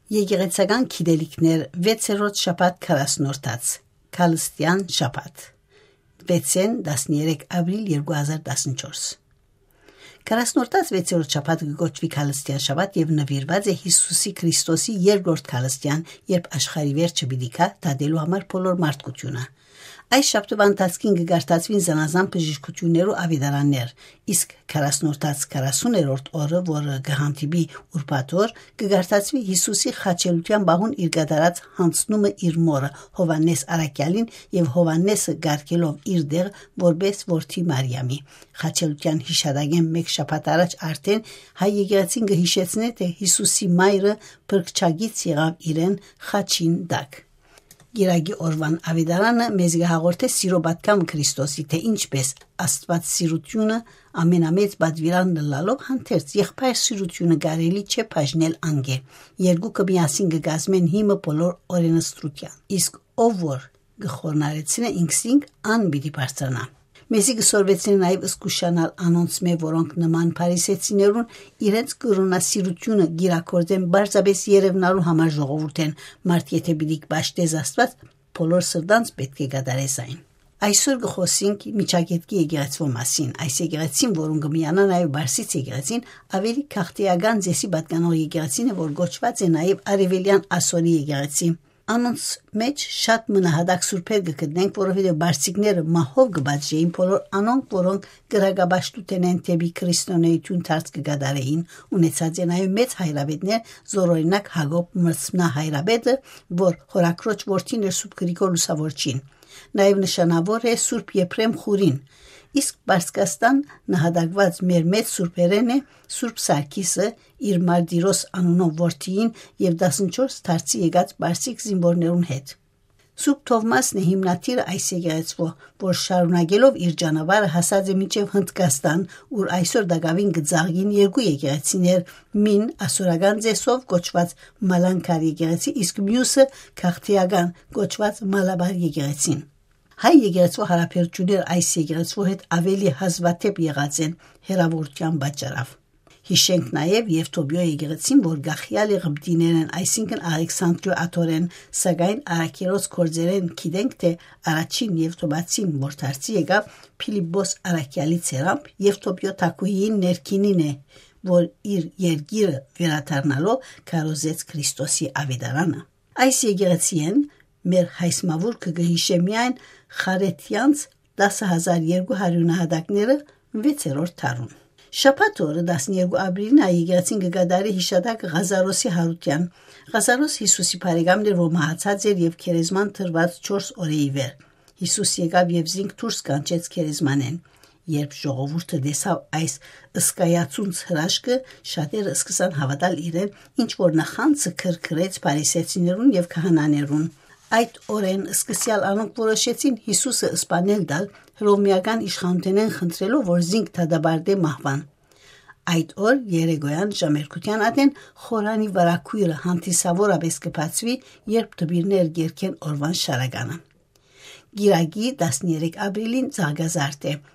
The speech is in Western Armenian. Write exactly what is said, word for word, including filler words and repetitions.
Եկեղեցական գիտելիքներ, վեցերորդ շաբաթ քառասնորդաց, Քալստեան շաբաթ, վեցեն, տասներեք ապրիլ երկու հազար տասնչորս։ Քառասնորդաց վեցերորդ շաբաթը կը կոչուի Քալստեան շաբաթ եւ նուիրուած է Յիսուսի Քրիստոսի երկրորդ քալստեան, երբ աշխարհի վերջը պիտի գայ դատելու համար բոլոր մարդկութիւնը։ Այս շաբթուան ընթացքին կը կարդացուին զանազան բժշկութիւններու աւետարաններ, իսկ քառասնորդաց քառասուներորդ օրը, որը կը հանդիպի ուրբաթ օր, կը կարդացուի Յիսուսի խաչելութեան պահուն իր կատարած յանձնումը իր մօրը՝ Յովհաննէս Առաքեալին, եւ Յովհաննէսը կարգելով իր տեղ որպէս որդի Մարիամի։ Խաչելութեան յիշատակէն մէկ շաբաթ առաջ արդէն հայ եկեղեցին կը յիշեցնէ, թէ Յիսուսի մայրը փրկչագից եղաւ իրեն խաչին տակ։ Կիրակի օրուան աւետարանը մեզ կը հաղորդէ սիրոյ պատգամը Քրիստոսի, թէ ինչպէս Աստուած սիրութիւնը ամենամեծ պատուիրան ըլլալով, հանդերձ եղբայր սիրութիւնը կարելի չէ բաժնել անկէ։ Երկուքը միասին կը կազմեն հիմը բոլոր օրենսդրութեան։ Իսկ ով որ կը խորհրդանարեցնէ ինքզինք, ան պիտի բարձրանայ։ Մեզի կը սորվեցնէ նաեւ զգուշանալ անոնցմէ, որոնք նման փարիսեցիներուն իրենց կրոնասիրութիւնը կիրագործեն պարզապէս երեւնալու համար ժողովուրդէն։ Մարդ եթէ պիտի պաշտէ Աստուած, բոլոր սրտանց պէտք է կատարէ զայն։ Այսօր կը խօսենք Միջագետքի եկեղեցւոյ մասին։ Այս եկեղեցին, որուն կը միանայ նաեւ Պարսից եկեղեցին, աւելի գաղթէական ծէսի պատկանող եկեղեցին է, որ կոչուած է նաեւ Արեւելեան Ասորի եկեղեցի։ Անոնց մէջ շատ մը նահատակ սուրբեր կը գտնենք, որովհետեւ պարսիկները մահով կը պատժէին բոլոր անոնք, որոնք կրակապաշտութենէն դէպի քրիստոնէութիւն դարձ կը կատարէին, ունեցած է նաեւ մեծ հայրապետներ, զորօրինակ Յակոբ Մրցմնահայրապետը, որ հօրաքրոջ որդին էր Սուրբ Գրիգոր Լուսավորչին, նաեւ նշանաւոր է Սուրբ Եփրեմ Խուրին, իսկ Պարսկաստան նահատակուած մեր մեծ սուրբերէն է Սուրբ Սարգիսը, իր Մարտիրոս անունով որդիին եւ տասնչորս դարձի եկած պարսիկ զինուորներուն հետ։ Սուրբ Թովմասն է հիմնադիրը այս եկեղեցւոյ, որ շարունակելով իր ճանապարհը հասած է մինչեւ Հնդկաստան, ուր այսօր տակաւին կը ծաղկին երկու եկեղեցիներ, մին ասորական ծէսով կոչուած Մալանքար եկեղեցի, իսկ միւսը գաղթէական կոչուած Մալաբար եկեղեցին։ Հայ եկեղեցւոյ յարաբերութիւնները այս եկեղեցւոյ հետ աւելի հազուադէպ եղած են հեռաւորութեան պատճառով։ Յիշենք նաեւ Եւթոպիոյ եկեղեցին, որ գախեալ է ղպտիներէն, այսինքն Ալեքսանդրիոյ աթորէն, սակայն առաքելոց գործերէն գիտենք, թէ առաջին եւթոպացին, որ դարձի եկաւ Փիլիպպոս առաքեալի ձեռամբ, Եւթոպիոյ թագուհիին ներքինին է, որ իր երկիրը վերադառնալով քարոզեց Քրիստոսի աւետարանը։ Այս եկեղեցիէն մեր հայսմաւուրքը կը յիշէ միայն Խարեթեանց տասը հազար երկու հարիւր նահատակները վեցերորդ դարուն։ Շաբաթ օրը, տասներկու ապրիլին, եկեղեցին կը կատարի յիշատակը Ղազարոսի յարութեան։ Ղազարոս Յիսուսի բարեկամն էր, որ մահացած էր եւ գերեզման դրուած չորս օրէ ի վեր։ Յիսուս եկաւ եւ զինք դուրս կանչեց գերեզմանէն։ Երբ ժողովուրդը տեսաւ այս սկայացունց հրաշքը, շատերը սկսան հաւատալ իրեն, ինչ որ նախանձը քրքրեց փարիսեցիներուն եւ քահանաներուն։ Այդ օրէն սկսեալ անոնք որոշեցին Յիսուսը սպանել տալ, հռովմէական իշխանութենէն խնդրելով, որ զինք դատապարտէ մահուան։ Այդ օր երեկոյեան ժամերգութեան ատեն խորանի վարագոյրը հանդիսաւորապէս կը բացուի, երբ դպիրներ կերգեն օրուան շարականը։ Կիրակի, տասներեք ապրիլին, ծաղկազարդ է։